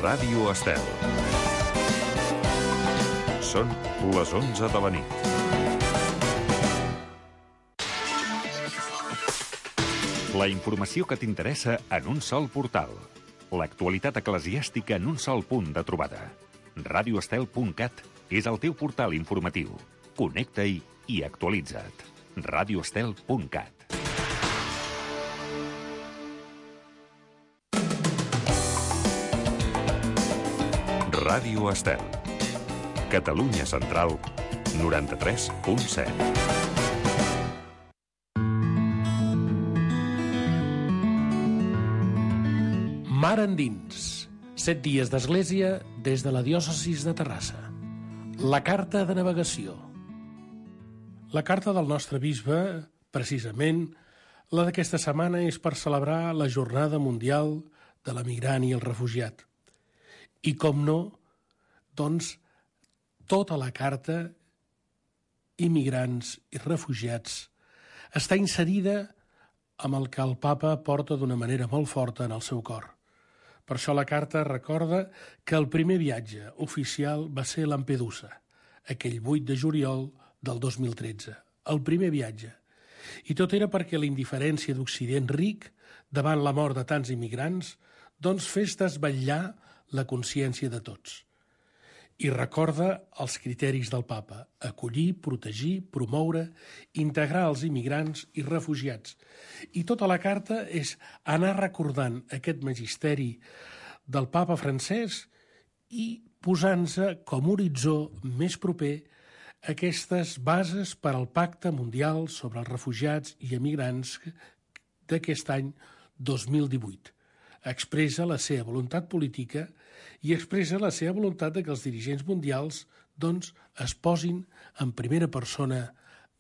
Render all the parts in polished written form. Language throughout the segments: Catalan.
Ràdio Estel. Són les 11 de la nit. La informació que t'interessa en un sol portal. L'actualitat eclesiàstica en un sol punt de trobada. radioestel.cat és el teu portal informatiu. Connecta-hi i actualitza't. radioestel.cat. Ràdio Estel. Catalunya Central, 93.7. Mar endins. 7 dies d'església des de la diòcesis de Terrassa. La carta de navegació. La carta del nostre bisbe, precisament, la d'aquesta setmana és per celebrar la Jornada Mundial de l'Emigrant i el Refugiat. I com no, doncs, tota la carta, immigrants i refugiats, està inserida amb el que el papa porta d'una manera molt forta en el seu cor. Per això la carta recorda que el primer viatge oficial va ser a Lampedusa, aquell 8 de juliol del 2013, el primer viatge. I tot era perquè la indiferència d'Occident ric davant la mort de tants immigrants doncs fes desvetllar la consciència de tots. I recorda els criteris del papa: acollir, protegir, promoure, integrar els immigrants i refugiats. I tota la carta és anar recordant aquest magisteri del papa francès i posant-se com horitzó més proper aquestes bases per al Pacte Mundial sobre els Refugiats i Emigrants d'aquest any 2018. Expressa la seva voluntat política i expressa la seva voluntat de que els dirigents mundials doncs, es posin en primera persona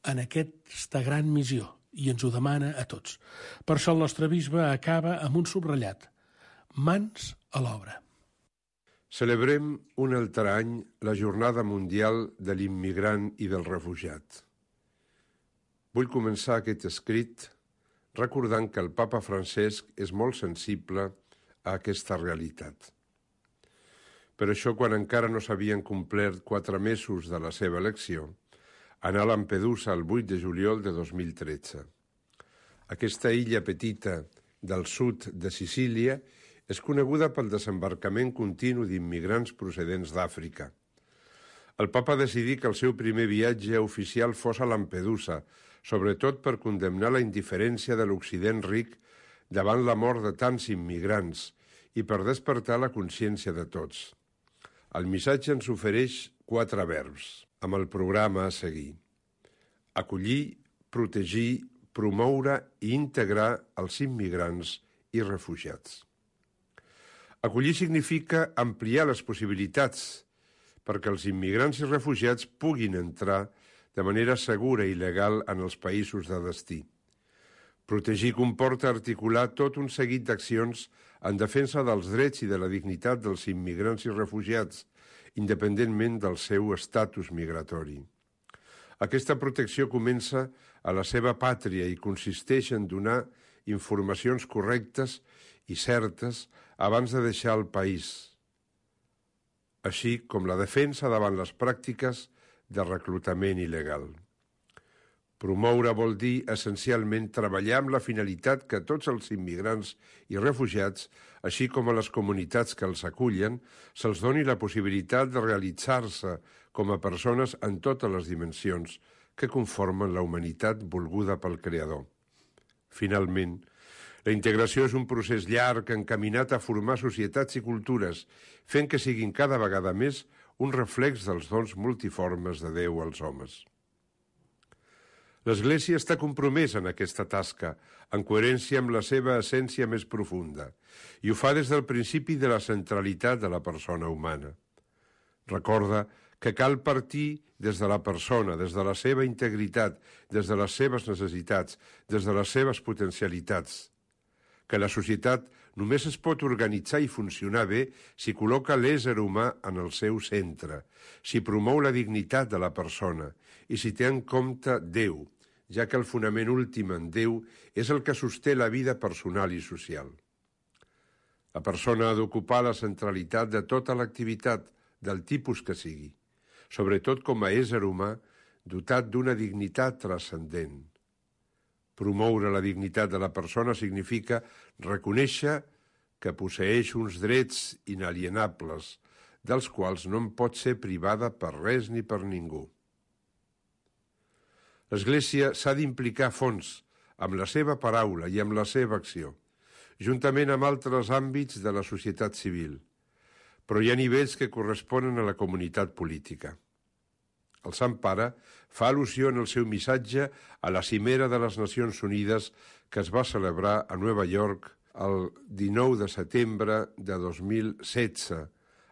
en aquesta gran missió i ens ho demana a tots. Per això el nostre bisbe acaba amb un subratllat: mans a l'obra. Celebrem un altre any la Jornada Mundial de l'Immigrant i del Refugiat. Vull començar aquest escrit recordant que el papa Francesc és molt sensible a aquesta realitat. Per això, quan encara no s'havien complert 4 mesos de la seva elecció, anà a Lampedusa el 8 de juliol de 2013. Aquesta illa petita del sud de Sicília és coneguda pel desembarcament continu d'immigrants procedents d'Àfrica. El papa decidí que el seu primer viatge oficial fos a Lampedusa, sobretot per condemnar la indiferència de l'Occident ric davant la mort de tants immigrants i per despertar la consciència de tots. El missatge ens ofereix 4 verbs, amb el programa a seguir: acollir, protegir, promoure i integrar els immigrants i refugiats. Acollir significa ampliar les possibilitats perquè els immigrants i refugiats puguin entrar de manera segura i legal en els països de destí. Protegir comporta articular tot un seguit d'accions en defensa dels drets i de la dignitat dels immigrants i refugiats, independentment del seu estatus migratori. Aquesta protecció comença a la seva pàtria i consisteix en donar informacions correctes i certes abans de deixar el país, així com la defensa davant les pràctiques de reclutament il·legal. Promoure vol dir, essencialment, treballar amb la finalitat que tots els immigrants i refugiats, així com a les comunitats que els acullen, se'ls doni la possibilitat de realitzar-se com a persones en totes les dimensions que conformen la humanitat volguda pel Creador. Finalment, la integració és un procés llarg encaminat a formar societats i cultures, fent que siguin cada vegada més un reflex dels dons multiformes de Déu als homes. L'Església està compromesa en aquesta tasca, en coherència amb la seva essència més profunda, i ho fa des del principi de la centralitat de la persona humana. Recorda que cal partir des de la persona, des de la seva integritat, des de les seves necessitats, des de les seves potencialitats, que la societat només es pot organitzar i funcionar bé si col·loca l'ésser humà en el seu centre, si promou la dignitat de la persona i si té en compte Déu, ja que el fonament últim en Déu és el que sosté la vida personal i social. La persona ha d'ocupar la centralitat de tota l'activitat, del tipus que sigui, sobretot com a ésser humà dotat d'una dignitat transcendent. Promoure la dignitat de la persona significa reconèixer que posseeix uns drets inalienables, dels quals no en pot ser privada per res ni per ningú. L'Església s'ha d'implicar a fons amb la seva paraula i amb la seva acció, juntament amb altres àmbits de la societat civil, però hi ha nivells que corresponen a la comunitat política. El Sant Pare fa al·lusió en el seu missatge a la Cimera de les Nacions Unides que es va celebrar a Nova York el 19 de setembre de 2016,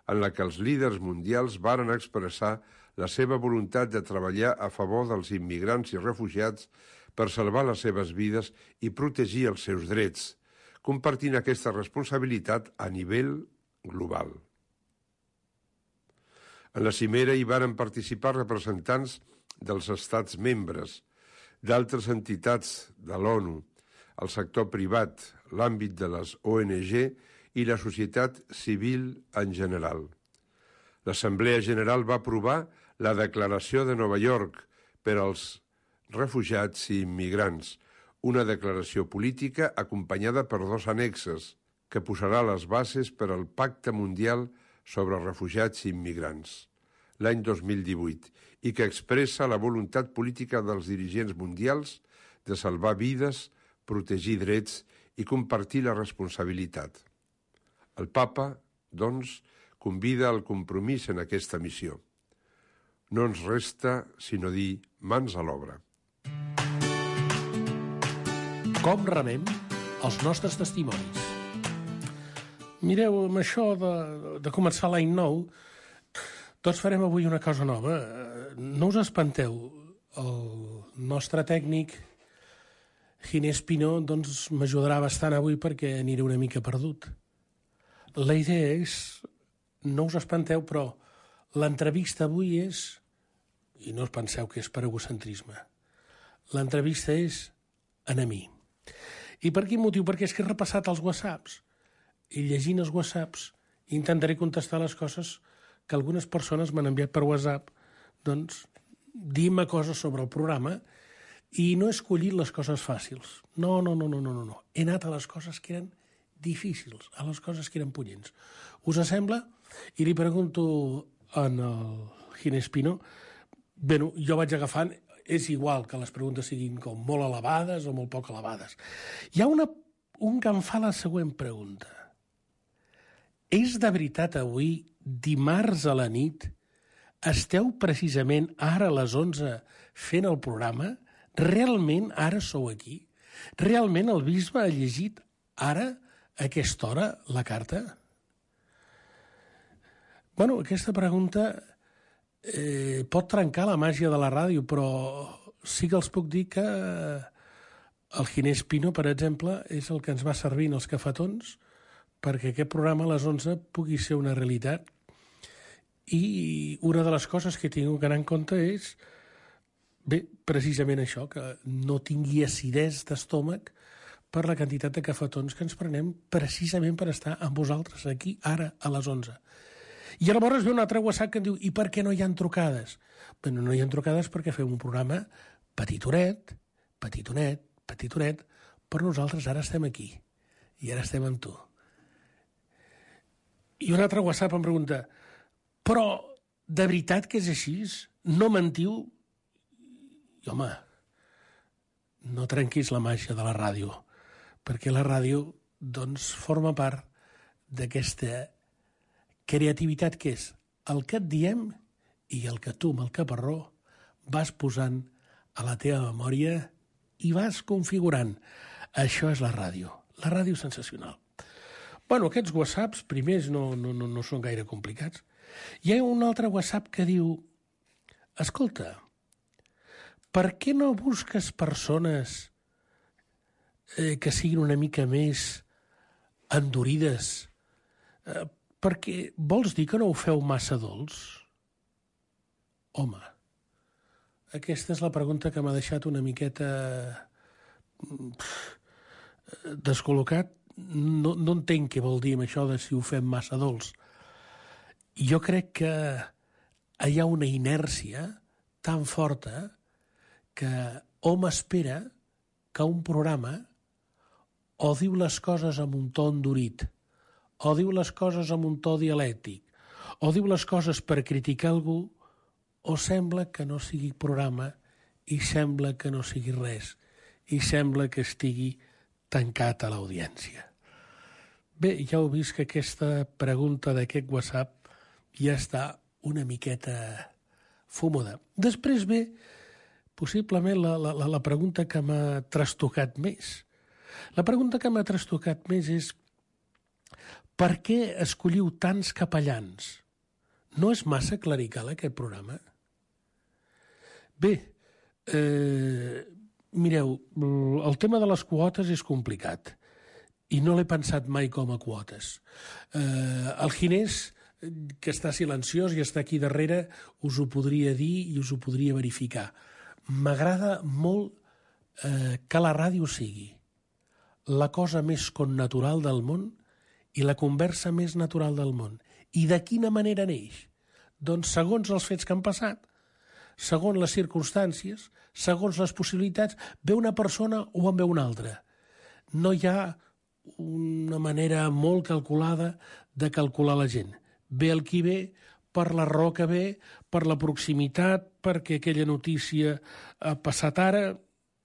en la que els líders mundials varen expressar la seva voluntat de treballar a favor dels immigrants i refugiats per salvar les seves vides i protegir els seus drets, compartint aquesta responsabilitat a nivell global. En la cimera hi varen participar representants dels estats membres, d'altres entitats de l'ONU, el sector privat, l'àmbit de les ONG i la societat civil en general. L'Assemblea General va aprovar la Declaració de Nova York per als refugiats i immigrants, una declaració política acompanyada per 2 annexes que posarà les bases per al Pacte Mundial sobre refugiats i immigrants, l'any 2018, i que expressa la voluntat política dels dirigents mundials de salvar vides, protegir drets i compartir la responsabilitat. El Papa, doncs, convida al compromís en aquesta missió. No ens resta sinó dir mans a l'obra. Com remem els nostres testimonis? Mireu, amb això de començar l'any nou, tots farem avui una cosa nova. No us espanteu. El nostre tècnic, Ginés Pinó, doncs m'ajudarà bastant avui perquè aniré una mica perdut. La idea és, no us espanteu, però l'entrevista avui és, i no us penseu que és per egocentrisme, l'entrevista és a mi. I per quin motiu? Perquè és que he repassat els whatsapps i llegint els whatsapps intentaré contestar les coses que algunes persones m'han enviat per WhatsApp, doncs, dir-me coses sobre el programa i no he escollit les coses fàcils. No. He anat a les coses que eren difícils, a les coses que eren punyents. Us sembla? I li pregunto en el Ginés Pinó, bé, jo vaig agafant, és igual que les preguntes siguin com molt elevades o molt poc elevades. Hi ha un que em fa la següent pregunta. És de veritat avui, dimarts a la nit, esteu precisament ara a les 11 fent el programa? Realment ara sou aquí? Realment el bisbe ha llegit ara, a aquesta hora, la carta? Bueno, aquesta pregunta pot trencar la màgia de la ràdio, però sí que els puc dir que el Ginés Pinó, per exemple, és el que ens va servir en els cafetons perquè aquest programa a les 11 pugui ser una realitat. I una de les coses que he tingut que anar en compte és, bé, precisament això, que no tingui acidesa d'estómac per la quantitat de cafetons que ens prenem precisament per estar amb vosaltres aquí, ara, a les 11. I llavors ve un altre WhatsApp que em diu, i per què no hi ha trucades? Bé, no hi ha trucades perquè fem un programa petitonet, però nosaltres ara estem aquí, i ara estem amb tu. I un altre WhatsApp em pregunta, però de veritat que és així? No mentiu? I home, no trenquis la màgia de la ràdio, perquè la ràdio, doncs, forma part d'aquesta creativitat que és el que et diem i el que tu, amb el caparró, vas posant a la teva memòria i vas configurant. Això és la ràdio sensacional. Bueno, aquests whatsapps primers no són gaire complicats. Hi ha un altre WhatsApp que diu, escolta, per què no busques persones que siguin una mica més endurides? Perquè vols dir que no ho feu massa dolç? Home, aquesta és la pregunta que m'ha deixat una miqueta descol·locat no entenc què vol dir amb això de si ho fem massa dolç. Jo crec que hi ha una inèrcia tan forta que hom espera que un programa o diu les coses amb un to endurit, o diu les coses amb un to dialèctic, o diu les coses per criticar algú, o sembla que no sigui programa i sembla que no sigui res, i sembla que estigui tancat a l'audiència. Bé, ja heu vist que aquesta pregunta d'aquest WhatsApp ja està una miqueta fumuda. Després ve, possiblement, la pregunta que m'ha trastocat més. La pregunta que m'ha trastocat més és per què escolliu tants capellans? No és massa clerical aquest programa? Bé, mireu, el tema de les quotes és complicat i no l'he pensat mai com a quotes. El Ginés, que està silenciós i està aquí darrere, us ho podria dir i us ho podria verificar. M'agrada molt que la ràdio sigui la cosa més connatural del món i la conversa més natural del món. I de quina manera neix? Doncs segons els fets que han passat, segons les circumstàncies, segons les possibilitats, ve una persona o en ve una altra. No hi ha una manera molt calculada de calcular la gent. Ve el qui ve, per la raó que ve, per la proximitat, perquè aquella notícia ha passat ara.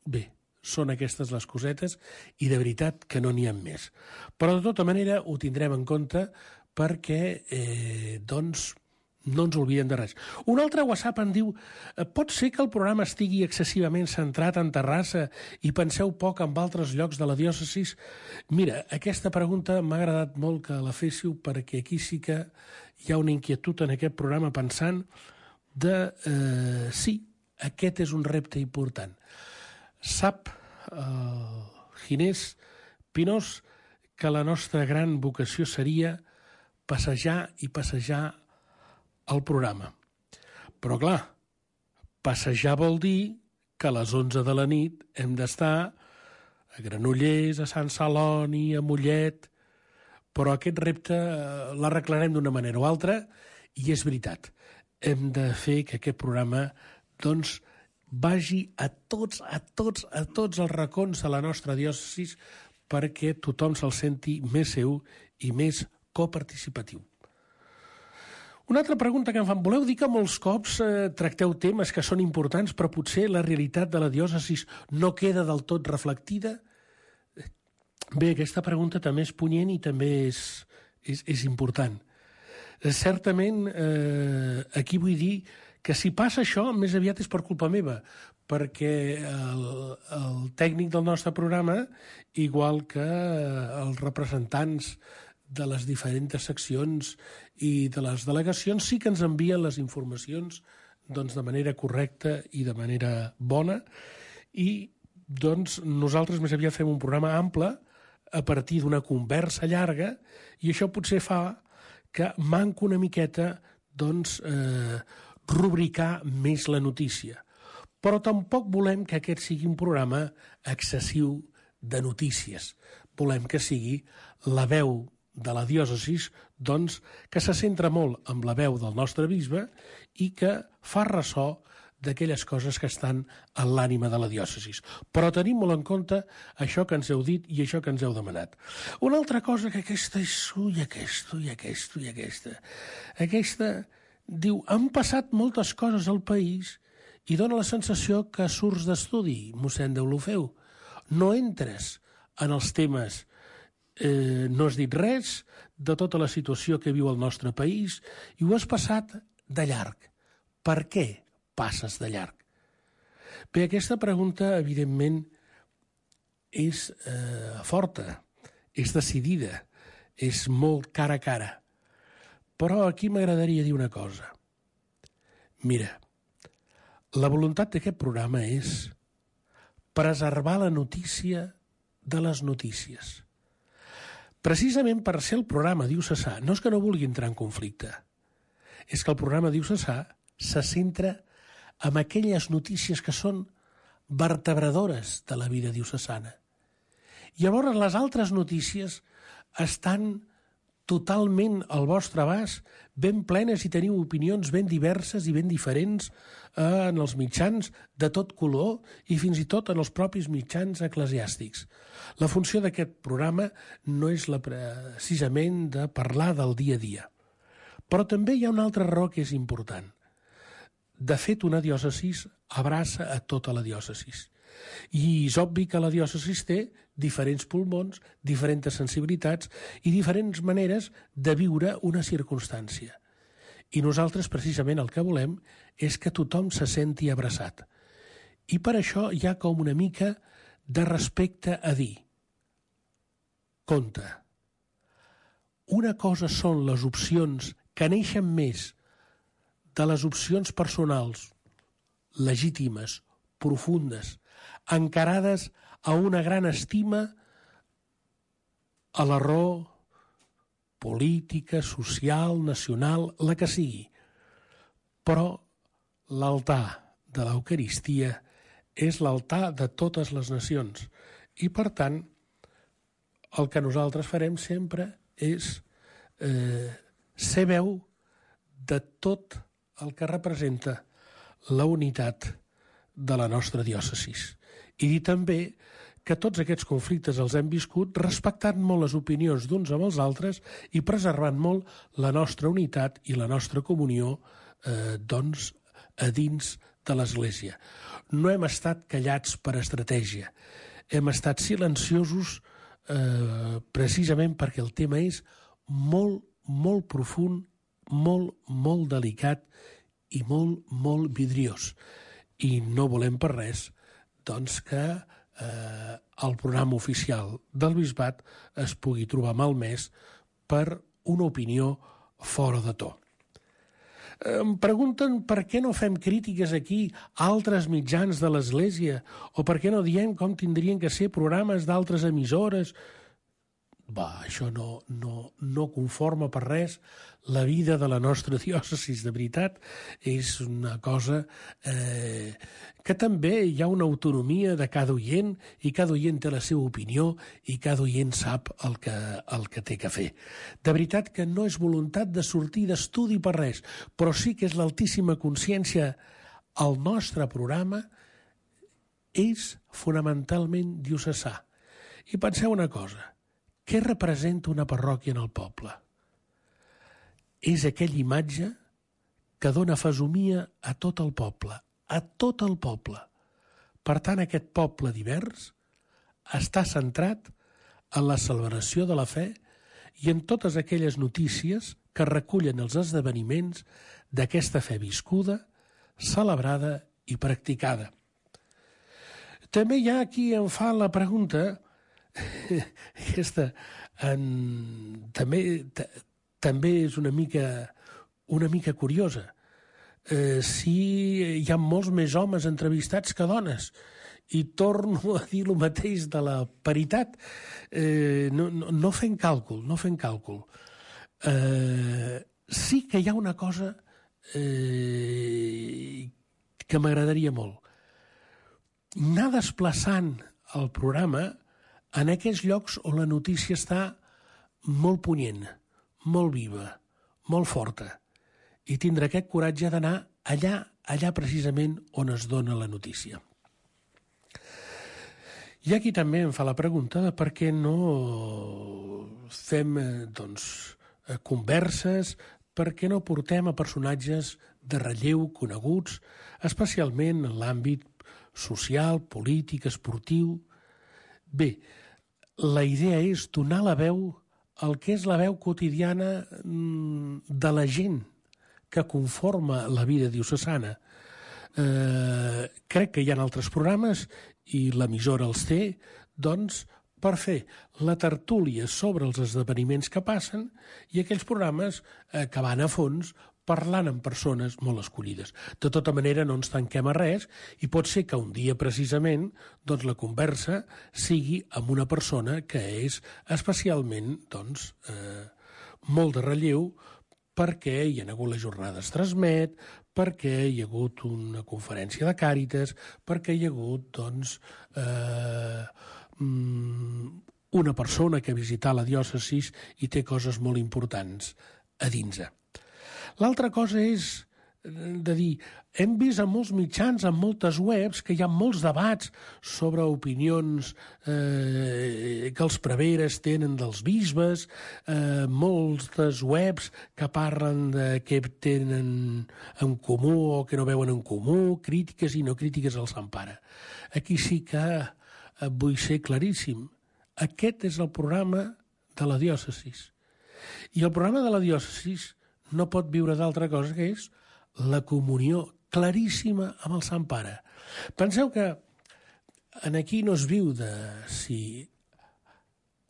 Bé, són aquestes les cosetes i de veritat que no n'hi ha més. Però de tota manera ho tindrem en compte perquè, doncs, no ens oblidem de res. Un altre WhatsApp em diu: pot ser que el programa estigui excessivament centrat en Terrassa i penseu poc en altres llocs de la diòcesi? Mira, aquesta pregunta m'ha agradat molt que la féssiu perquè aquí sí que hi ha una inquietud en aquest programa pensant de sí, aquest és un repte important. Sap Ginés Pinós que la nostra gran vocació seria passejar i passejar el programa. Però clar, passejar vol dir que a les 11 de la nit hem d'estar a Granollers, a Sant Celoni, a Mollet, però aquest repte l'arreglarem d'una manera o altra i és veritat, hem de fer que aquest programa doncs vagi a tots els racons de la nostra diòcesi perquè tothom se'l senti més seu i més coparticipatiu. Una altra pregunta que em fan: voleu dir que molts cops tracteu temes que són importants però potser la realitat de la diòcesi no queda del tot reflectida? Bé, aquesta pregunta també és punyent i també és important. Certament, aquí vull dir que si passa això, més aviat és per culpa meva, perquè el tècnic del nostre programa, igual que els representants de les diferents seccions i de les delegacions, sí que ens envien les informacions doncs, de manera correcta i de manera bona, i doncs, nosaltres més aviat fem un programa ample a partir d'una conversa llarga, i això potser fa que manca una miqueta doncs, rubricar més la notícia. Però tampoc volem que aquest sigui un programa excessiu de notícies. Volem que sigui la veu de la diòcesi, doncs, que se centra molt en la veu del nostre bisbe i que fa ressò d'aquelles coses que estan en l'ànima de la diòcesi. Però tenim molt en compte això que ens heu dit i això que ens heu demanat. Una altra cosa que aquesta és... Aquesta diu: han passat moltes coses al país i dona la sensació que surts d'estudi, mossèn Deulofeu. No entres en els temes, no has dit res de tota la situació que viu el nostre país i ho has passat de llarg. Per què passes de llarg? Bé, aquesta pregunta, evidentment, és forta, és decidida, és molt cara a cara. Però aquí m'agradaria dir una cosa. Mira, la voluntat d'aquest programa és preservar la notícia de les notícies. Precisament per ser el programa diocesà, no és que no vulgui entrar en conflicte, és que el programa diocesà se centra en aquelles notícies que són vertebradores de la vida diocesana. Llavors les altres notícies estan totalment al vostre abast, ben plenes, i teniu opinions ben diverses i ben diferents en els mitjans de tot color i fins i tot en els propis mitjans eclesiàstics. La funció d'aquest programa no és precisament de parlar del dia a dia. Però també hi ha una altra raó que és important. De fet, una diòcesi abraça a tota la diòcesi. I és obvi que la diòcesi té diferents pulmons, diferents sensibilitats i diferents maneres de viure una circumstància. I nosaltres, precisament, el que volem és que tothom se senti abraçat. I per això hi ha com una mica de respecte a dir: compte, una cosa són les opcions que neixen més de les opcions personals, legítimes, profundes, encarades a una gran estima a la raó política, social, nacional, la que sigui. Però l'altar de l'Eucaristia és l'altar de totes les nacions. I, per tant, el que nosaltres farem sempre és ser veu de tot el que representa la unitat de la nostra diòcesi. I dir també que tots aquests conflictes els hem viscut respectant molt les opinions d'uns amb els altres i preservant molt la nostra unitat i la nostra comunió a dins de l'Església. No hem estat callats per estratègia, hem estat silenciosos precisament perquè el tema és molt, molt profund, molt, molt delicat i molt, molt vidriós. I no volem per res doncs, que el programa oficial del Bisbat es pugui trobar malmès per una opinió fora de to. Em pregunten per què no fem crítiques aquí a altres mitjans de l'Església o per què no diem com tindrien que ser programes d'altres emissores. Això no conforma per res la vida de la nostra diòcesi, de veritat. És una cosa que també hi ha una autonomia de cada oient i cada oient té la seva opinió i cada oient sap el que té que fer. De veritat que no és voluntat de sortir d'estudi per res, però sí que és l'altíssima consciència. El nostre programa és fonamentalment diocesà. I penseu una cosa: què representa una parròquia en el poble? És aquella imatge que dona fesomia a tot el poble, a tot el poble. Per tant, aquest poble divers està centrat en la celebració de la fe i en totes aquelles notícies que recullen els esdeveniments d'aquesta fe viscuda, celebrada i practicada. També hi ha qui em fa la pregunta, aquesta també és una mica curiosa. Si hi ha molts més homes entrevistats que dones, i torno a dir el mateix de la paritat, no fent càlcul. Sí que hi ha una cosa que m'agradaria molt: anar desplaçant el programa en aquells llocs on la notícia està molt punyent, molt viva, molt forta, i tindre aquest coratge d'anar allà precisament on es dona la notícia. Hi ha qui també em fa la pregunta de per què no fem converses, per què no portem a personatges de relleu coneguts, especialment en l'àmbit social, polític, esportiu. Bé, la idea és donar la veu al que és la veu quotidiana de la gent que conforma la vida diocesana. Crec que hi ha altres programes, i l'emissora els té, doncs, per fer la tertúlia sobre els esdeveniments que passen i aquells programes que van a fons parlant amb persones molt escollides. De tota manera, no ens tanquem a res i pot ser que un dia, precisament, doncs, la conversa sigui amb una persona que és especialment molt de relleu, perquè hi ha hagut les jornades Transmet, perquè hi ha hagut una conferència de Càritas, perquè hi ha hagut una persona que ha visitat la diòcesi i té coses molt importants a dins. L'altra cosa és de dir, hem vist en molts mitjans, en moltes webs, que hi ha molts debats sobre opinions que els preveres tenen dels bisbes, moltes webs que parlen de què tenen en comú o que no veuen en comú, crítiques i no crítiques al Sant Pare. Aquí sí que vull ser claríssim. Aquest és el programa de la diòcesi. I el programa de la diòcesi no pot viure d'altra cosa que és la comunió claríssima amb el Sant Pare. Penseu que aquí no es viu de si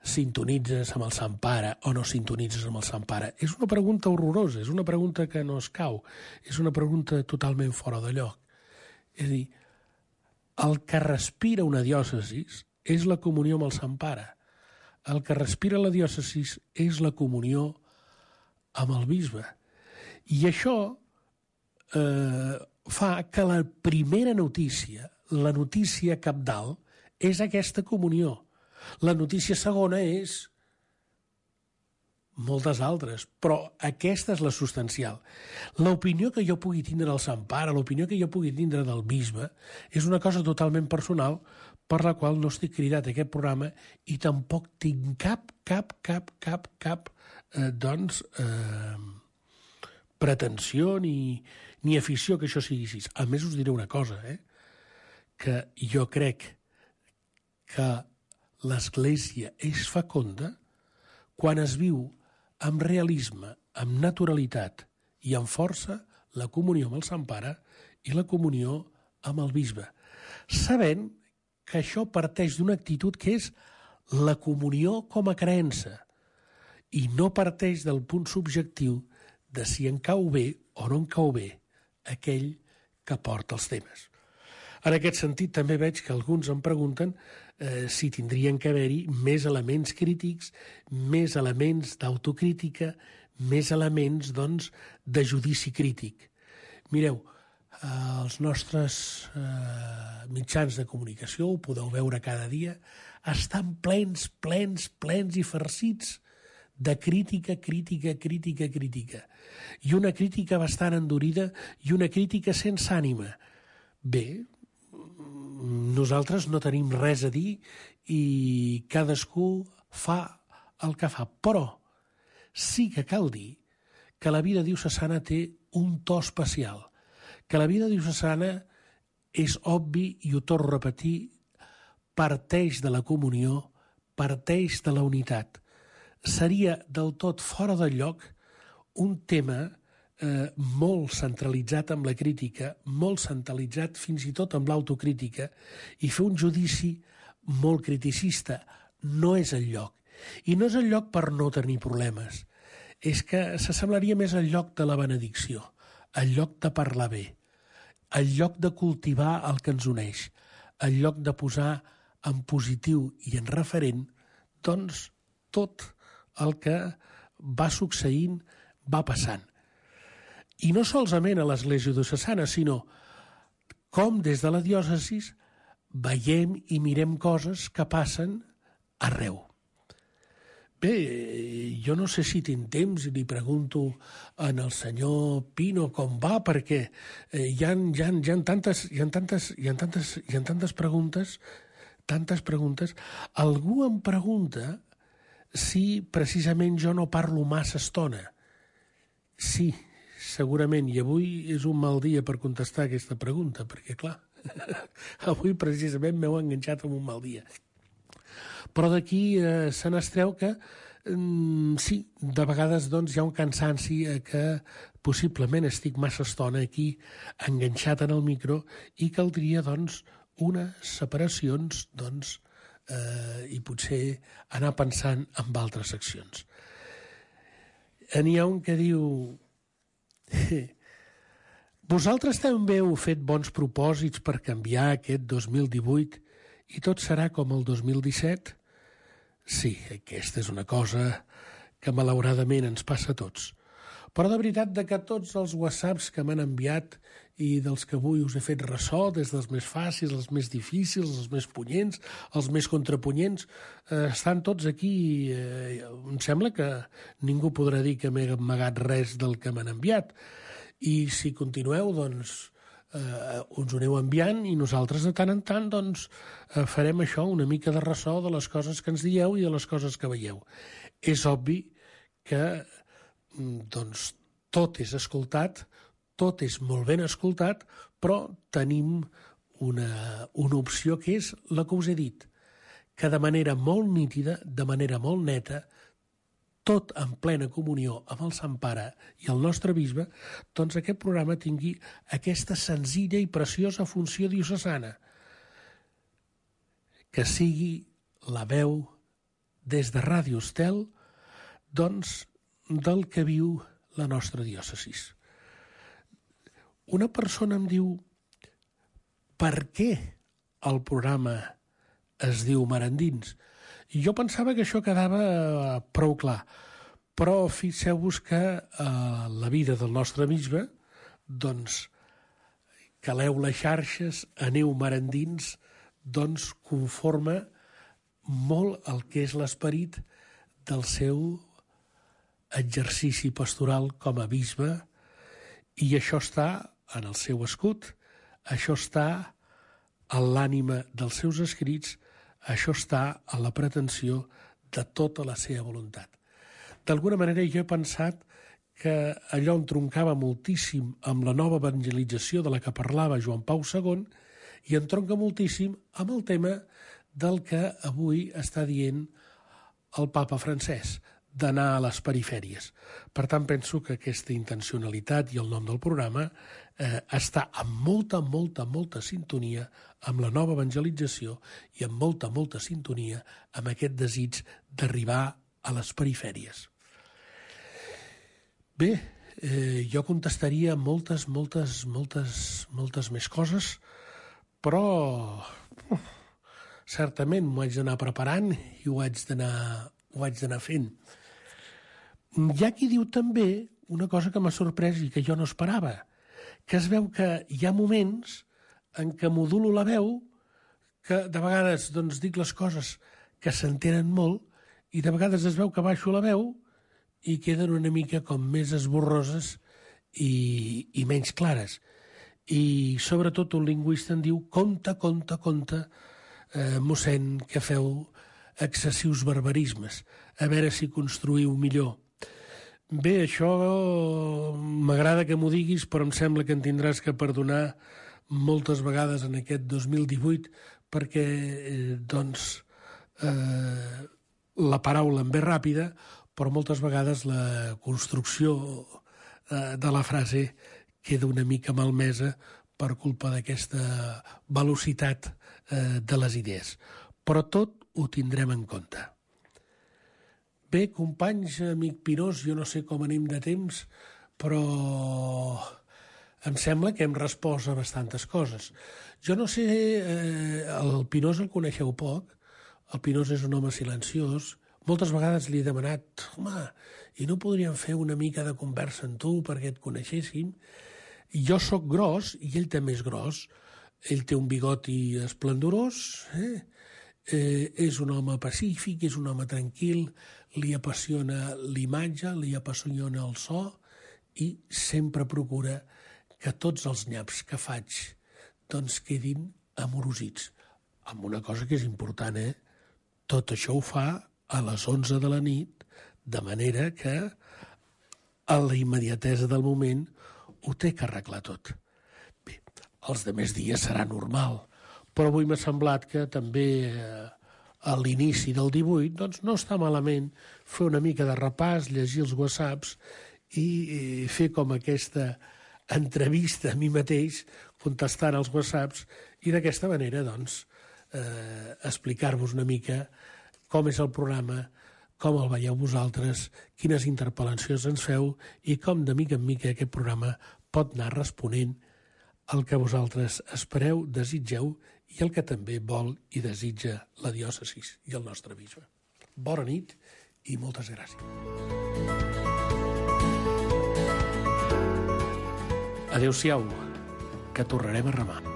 sintonitzes amb el Sant Pare o no sintonitzes amb el Sant Pare. És una pregunta horrorosa, és una pregunta que no es cau, és una pregunta totalment fora de lloc. És a dir, el que respira una diòcesi és la comunió amb el Sant Pare. El que respira la diòcesi és la comunió amb el bisbe. I això fa que la primera notícia, la notícia cabdal, és aquesta comunió. La notícia segona és moltes altres, però aquesta és la substancial. L'opinió que jo pugui tindre del Sant Pare, l'opinió que jo pugui tindre del bisbe, és una cosa totalment personal per la qual no estic cridat a aquest programa i tampoc tinc cap pretensió ni afició que això sigui així. A més, us diré una cosa, que jo crec que l'Església és fecunda quan es viu amb realisme, amb naturalitat i amb força la comunió amb el Sant Pare i la comunió amb el bisbe, sabent que això parteix d'una actitud que és la comunió com a creença i no parteix del punt subjectiu de si en cau bé o no en cau bé aquell que porta els temes. En aquest sentit, també veig que alguns em pregunten si tindrien que haver-hi més elements crítics, més elements d'autocrítica, més elements, doncs, de judici crític. Mireu, els nostres mitjans de comunicació, ho podeu veure cada dia, estan plens i farcits de crítica. I una crítica bastant endurida i una crítica sense ànima. Bé, nosaltres no tenim res a dir i cadascú fa el que fa, però sí que cal dir que la vida diocesana té un to especial, que la vida diocesana és obvi, i ho torno a repetir, parteix de la comunió, parteix de la unitat. Seria del tot fora de lloc un tema molt centralitzat amb la crítica, molt centralitzat fins i tot amb l'autocrítica, i fer un judici molt criticista. No és el lloc. I no és el lloc per no tenir problemes. És que s'assemblaria més al lloc de la benedicció, al lloc de parlar bé, al lloc de cultivar el que ens uneix, al lloc de posar en positiu i en referent, doncs, tot el que va succeint, va passant. I no solament a l'Església diocesana, sinó com des de la diòcesi veiem i mirem coses que passen arreu. Bé, jo no sé si tinc temps i li pregunto al senyor Pino com va, perquè hi ha tantes preguntes. Algú em pregunta si precisament jo no parlo massa estona. Sí, segurament, i avui és un mal dia per contestar aquesta pregunta, perquè, clar, avui precisament m'heu enganxat en un mal dia. Però d'aquí se n'estreu que, sí, de vegades doncs, hi ha un cansanci que possiblement estic massa estona aquí enganxat en el micro i caldria, doncs, unes separacions, doncs, i potser anar pensant en altres seccions. N'hi ha un que diu: vosaltres també heu fet bons propòsits per canviar aquest 2018 i tot serà com el 2017? Sí, aquesta és una cosa que malauradament ens passa a tots. Però de veritat que tots els whatsapps que m'han enviat i dels que avui us he fet ressò, des dels més fàcils, els més difícils, els més punyents, els més contrapunyents, estan tots aquí. Em sembla que ningú podrà dir que m'he amagat res del que m'han enviat. I si continueu, doncs, us ho aneu enviant i nosaltres de tant en tant doncs, farem això, una mica de ressò de les coses que ens dieu i de les coses que veieu. És obvi que doncs, tot és escoltat, tot és molt ben escoltat, però tenim una opció que és la que us he dit, que de manera molt nítida, de manera molt neta, tot en plena comunió amb el Sant Pare i el nostre bisbe, doncs aquest programa tingui aquesta senzilla i preciosa funció diocesana, que sigui la veu des de Ràdio Estel, doncs, del que viu la nostra diòcesis. Una persona em diu per què el programa es diu Mar Endins? I jo pensava que això quedava prou clar, però fixeu-vos que la vida del nostre bisbe, doncs, caleu les xarxes, aneu mar endins, doncs conforma molt el que és l'esperit del seu exercici pastoral com a bisbe, i això està en el seu escut, això està en l'ànima dels seus escrits, això està a la pretensió de tota la seva voluntat. D'alguna manera jo he pensat que allò entroncava moltíssim amb la nova evangelització de la que parlava Joan Pau II i entronca moltíssim amb el tema del que avui està dient el papa francès, d'anar a les perifèries. Per tant, penso que aquesta intencionalitat i el nom del programa està en molta sintonia amb la nova evangelització i en molta sintonia amb aquest desig d'arribar a les perifèries. Bé, jo contestaria moltes més coses, però certament m'ho haig d'anar preparant i ho haig d'anar fent. Hi ha qui diu també una cosa que m'ha sorprès i que jo no esperava, que es veu que hi ha moments en què modulo la veu, que de vegades doncs, dic les coses que s'entenen molt i de vegades es veu que baixo la veu i queden una mica com més esborroses i menys clares. I sobretot un lingüista em diu compte, mossèn, que feu excessius barbarismes, a veure si construïu millor. Bé, això m'agrada que m'ho diguis, però em sembla que en tindràs que perdonar moltes vegades en aquest 2018 perquè, la paraula em ve ràpida, però moltes vegades la construcció de la frase queda una mica malmesa per culpa d'aquesta velocitat de les idees. Però tot ho tindrem en compte. Bé, companys, amic Pinós, jo no sé com anem de temps, però em sembla que hem respost a bastantes coses. Jo no sé, el Pinós el coneixeu poc, el Pinós és un home silenciós, moltes vegades li he demanat, home, i no podríem fer una mica de conversa amb tu perquè et coneixéssim? Jo sóc gros i ell també és gros, ell té un bigoti esplendorós, és un home pacífic, és un home tranquil, li apassiona l'imatge, li apassiona el so i sempre procura que tots els nyaps que faig doncs quedin amorosits. Amb una cosa que és important, tot això ho fa a les 11 de la nit, de manera que a la immediatesa del moment ho té que arreglar tot. Bé, els demés dies serà normal, però avui m'ha semblat que també a l'inici del 18 doncs no està malament fer una mica de repàs, llegir els whatsapps i fer com aquesta entrevista a mi mateix, contestant als whatsapps, i d'aquesta manera doncs explicar-vos una mica com és el programa, com el veieu vosaltres, quines interpel·lacions ens feu i com de mica en mica aquest programa pot anar responent al que vosaltres espereu, desitgeu i el que també vol i desitja la diòcesi i el nostre bisbe. Bona nit i moltes gràcies. Adéu-siau, que tornarem a remar.